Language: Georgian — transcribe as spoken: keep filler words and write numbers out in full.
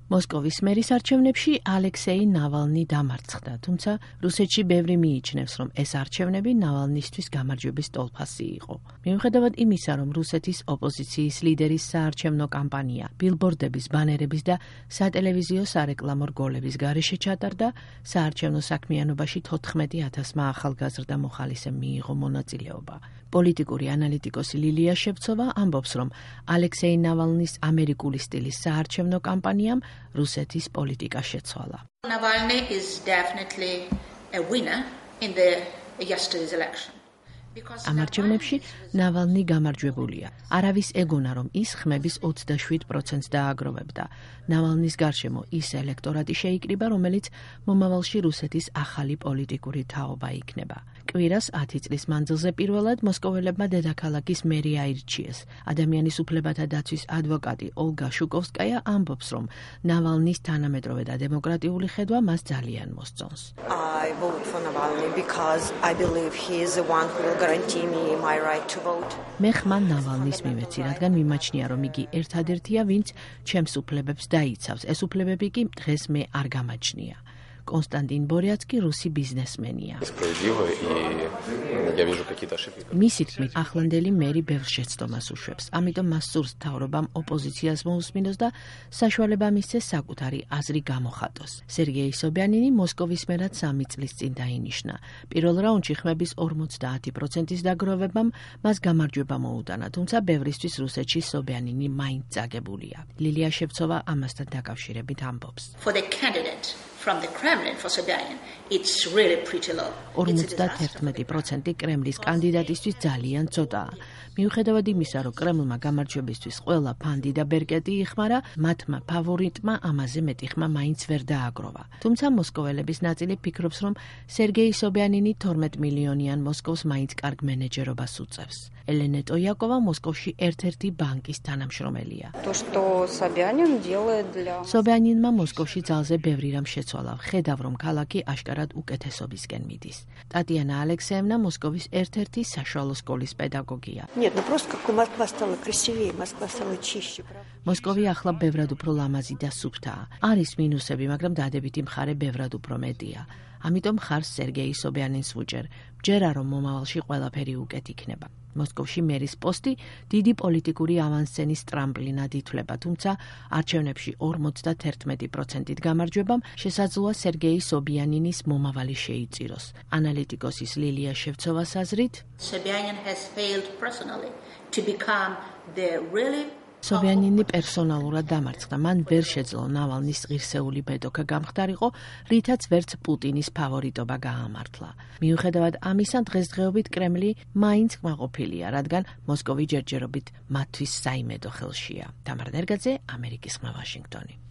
მოსკოვის მერის არჩევნებში ალექსეი ნავალნი დამარცხდა, თუმცა რუსეთში ბევრი მიიჩნევს, რომ ეს არჩევნები ნავალნისთვის გამარჯვების ტოლფასი იყო. მიუხედავად იმისა, რომ რუსეთის ოპოზიციის ლიდერის საარჩევნო კამპანია ბილბორდების, ბანერების და სატელევიზიო სარეკლამო რგოლების გარეშე ჩატარდა, საარჩევნო საქმიანობაში თოთხმეტი ათასმა ახალგაზრდა მოხალისემ მიიღო მონაწილეობა. პოლიტიკური ანალიტიკოსი ლილია შევცოვა ამბობს, რომ ალექსეი ნავალნის ამერიკული სტილის საარჩევნო კამპანიამ რუსეთის პოლიტიკა შეცვალა. Navalny is definitely a winner in the yesterday's election. ამ არჩევნებში ნავალნი გამარჯვებულია. არავის ეგონა, რომ ის ხმების ოცდაშვიდ პროცენტს დააგროვებდა. ნავალნის გარშემო ის ელექტორატი შეიკრიბა, რომელიც მომავალში რუსეთის ახალი პოლიტიკური თაობა იქნება. კვირას ათი წლის მანძილზე პირველად მოსკოველებმა დედაქალაქის მერი აირჩიეს. ადამიანის უფლებათა დაცვის ადვოკატი ოლგა შუკოვსკაია ამბობს, რომ ნავალნის თანამედროვე და დემოკრატიული ხედვა მას ძალიან მოსწონს. I vote for Navalny because I believe he is the one who will guarantee me my right to vote. მე ხმან ნავალნის მივეცი, რადგან მიმაჩნია, რომ იგი ერთადერთია, ვინც ჩემს უფლებებს დაიცავს. ეს უფლებები კი დღეს მე არ გამაჩნია. კონსტანტინ ბორიაცკი რუსი ბიზნესმენია. მისი თქმით, ახლანდელი მერი ბევრ შეცდომას უშვებს, ამიტომ მას სურს მთავრობამ ოპოზიციას მოусმინოს და საშუალება მისცეს საკუთარი აზრი გამოხატოს. სერგეი სობიანინი მოსკოვის მერად სამი წლის წინ დაინიშნა. პირველ რაუნდში ხმების ორმოცდაათი პროცენტის დაგროვებამ მას გამარჯვება მოუტანა, თუმცა ბევრისთვის რუსეთში სობიანინი მაინც წაგებულია. ლილია შევცოვა ამასთან დაკავშირებით ამბობს. For the candidate from the Kremlin for Sobyanin, it's really pretty low. ორმოცდაერთმეტი პროცენტი კრემლის კანდიდატისთვის ძალიან ცოტაა. მიუხედავად იმისა, რომ კრემლმა გამარჯვებისთვის ყველა ფანდი და ბერკეტი იხმარა, მათმა ფავორიტმა ამაზე მეტი ხმა მაინც ვერ დააგროვა. თუმცა მოსკოველების ნაწილი ფიქრობს, რომ სერგეი სობიანინი თორმეტ მილიონიან მოსკოვს მაინც კარგ მენეჯერობას უწევს. ელენე ტოიაკოვა მოსკოვში ერთ-ერთი ბანკის თანამშრომელია. სობიანინმა მოსკოვში ძალზე ბევრი რამ შეცვალა. ხედავ, რომ ქალაქი აშკარად უკეთესობისკენ მიდის. ტატიანა ალექსეევნა მოსკოვის ერთ-ერთი საშუალო სკოლის პედაგოგია. მოსკოვი ახლა ბევრად უფრო ლამაზი და სუფთაა. არის მინუსები, მაგრამ დადებითი მხარე ბევრად უფრო მეტია. ამიტომ ხარს სერგეი სობიანინს ვუჭერ. მჯერა, რომ მომავალში ყველაფერი უკეთ იქნება. მოსკოვში მერის პოსტი დიდი პოლიტიკური ავანსცენის ტრამპლინად ითვლება, თუმცა არჩევნებში ორმოცდაერთმეტი პროცენტით გამარჯვებამ შესაძლოა სერგეი სობიანინის მომავალი შეიწიროს. ანალიტიკოსის ლილია შევცოვას აზრით, Sobyanin has failed personally to become the really სობიანინი პერსონალურად დამარცხდა. მან ვერ შეძლო ნავალნის ღირსეული ბედოქა გამხდარიყო, რითაც ვერც პუტინის ფავორიტობა გაამართლა. მიუხედავად ამისა, დღესდღეობით კრემლი მაინც კმაყოფილია, რადგან მოსკოვი ჯერჯერობით მათთვის საიმედო ხელშია. თამარ ნერგაძე, ამერიკის ხმა, ვაშინგტონი.